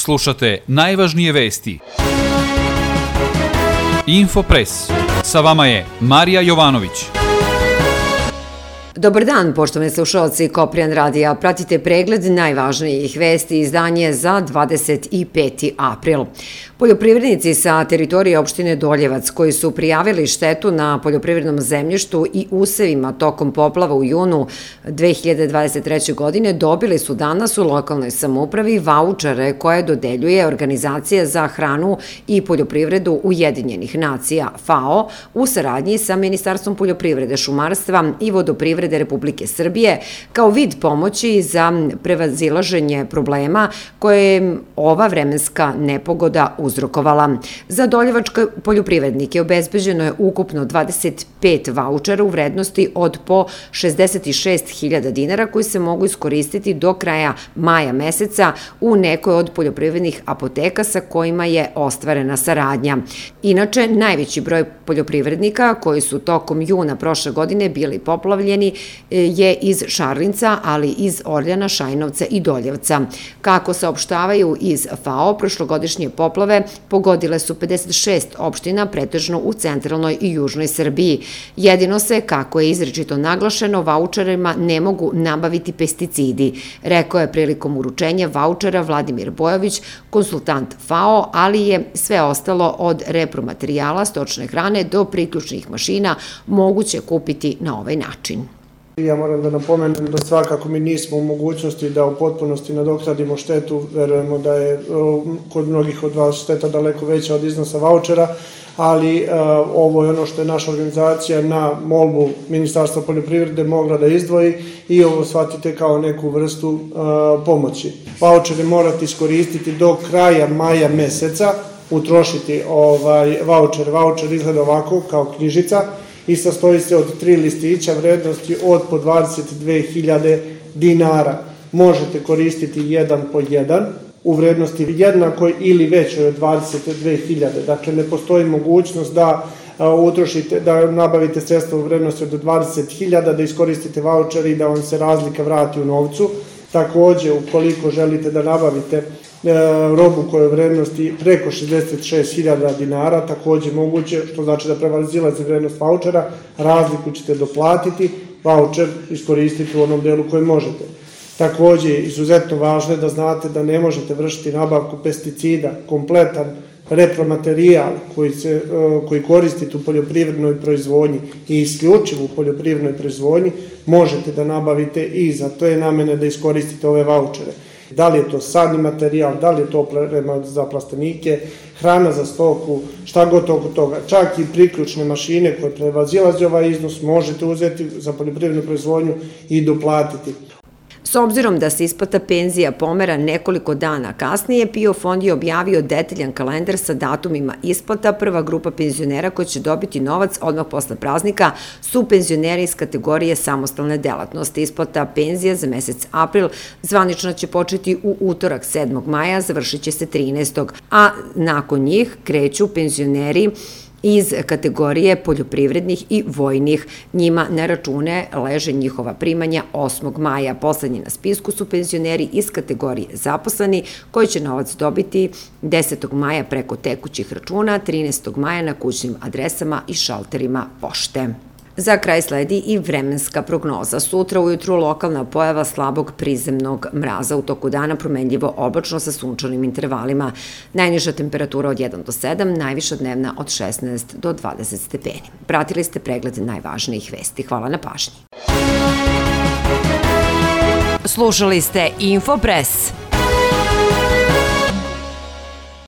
Slušate najvažnije vesti. Infopres. Sa vama je Marija Jovanović. Dobar dan, poštovani slušalci Koprijan radija. Pratite pregled najvažnijih vesti izdanje za 25. april. Poljoprivrednici sa teritorije opštine Doljevac koji su prijavili štetu na poljoprivrednom zemljištu i usevima tokom poplava u junu 2023. godine dobili su danas u lokalnoj samoupravi vaučere koje dodeljuje Organizacija za hranu i poljoprivredu Ujedinjenih nacija, FAO, u saradnji sa Ministarstvom poljoprivrede, šumarstva i vodoprivrede Republike Srbije, kao vid pomoći za prevazilaženje problema koje je ova vremenska nepogoda uzrokovala. Za doljevačke poljoprivrednike obezbeđeno je ukupno 25 vaučera u vrednosti od po 66.000 dinara koji se mogu iskoristiti do kraja maja meseca u nekoj od poljoprivrednih apoteka sa kojima je ostvarena saradnja. Inače, najveći broj poljoprivrednika koji su tokom juna prošle godine bili poplavljeni je iz Šarlinca, ali iz Orljana, Šajnovca i Doljevca. Kako saopštavaju iz FAO, prošlogodišnje poplave pogodile su 56 opština, pretežno u centralnoj i južnoj Srbiji. Jedino se, kako je izričito naglašeno, vaučerima ne mogu nabaviti pesticidi, rekao je prilikom uručenja vaučera Vladimir Bojović, konsultant FAO, ali je sve ostalo od repromaterijala, stočne hrane do priključnih mašina moguće kupiti na ovaj način. Ja moram da napomenem da svakako mi nismo u mogućnosti da u potpunosti nadoknadimo štetu, verujemo da je kod mnogih od vas šteta daleko veća od iznosa vaučera, ali ovo je ono što je naša organizacija na molbu Ministarstva poljoprivrede mogla da izdvoji i ovo shvatite kao neku vrstu pomoći. Vaučere morate iskoristiti do kraja maja meseca, utrošiti vaučer. Vaučer izgleda ovako kao knjižica i sastoji se od 3 listića vrednosti od po 22.000 dinara. Možete koristiti jedan po jedan u vrednosti jednakoj ili većoj od 22.000. Dakle, ne postoji mogućnost da utrošite, da nabavite sredstva u vrednosti od 20.000, da iskoristite vaučer i da vam se razlika vrati u novcu. Takođe, ukoliko želite da nabavite robu koja je u vrednosti preko 66.000 dinara, takođe moguće, što znači da prevazilazi vrednost vaučera, razliku ćete doplatiti, vaučer iskoristiti u onom delu koji možete. Takođe, izuzetno važno je da znate da ne možete vršiti nabavku pesticida, kompletan repromaterijal koji koristite u poljoprivrednoj proizvodnji i isključivo u poljoprivrednoj proizvodnji, možete da nabavite i za to je namene da iskoristite ove vaučere. Da li je to sadni materijal, da li je to oprema za plastenike, hrana za stoku, šta god oko toga. Čak i priključne mašine koje prevazilaze ovaj iznos možete uzeti za poljoprivrednu proizvodnju i doplatiti. S obzirom da se isplata penzija pomera nekoliko dana kasnije, PIO fond je objavio detaljan kalendar sa datumima isplata. Prva grupa penzionera koja će dobiti novac odmah posle praznika su penzioneri iz kategorije samostalne delatnosti. Isplata penzija za mesec april zvanično će početi u utorak 7. maja, završit će se 13. a nakon njih kreću penzioneri iz kategorije poljoprivrednih i vojnih. Njima na račune leže njihova primanja 8. maja. Poslednji na spisku su penzioneri iz kategorije zaposleni koji će novac dobiti 10. maja preko tekućih računa, 13. maja na kućnim adresama i šalterima pošte. Za kraj sledi i vremenska prognoza. Sutra ujutru lokalna pojava slabog prizemnog mraza, u toku dana promenljivo oblačno sa sunčanim intervalima. Najniža temperatura od 1 do 7, najviša dnevna od 16 do 20 stepeni. Pratili ste pregled najvažnijih vesti. Hvala na pažnji. Slušali ste Infopres.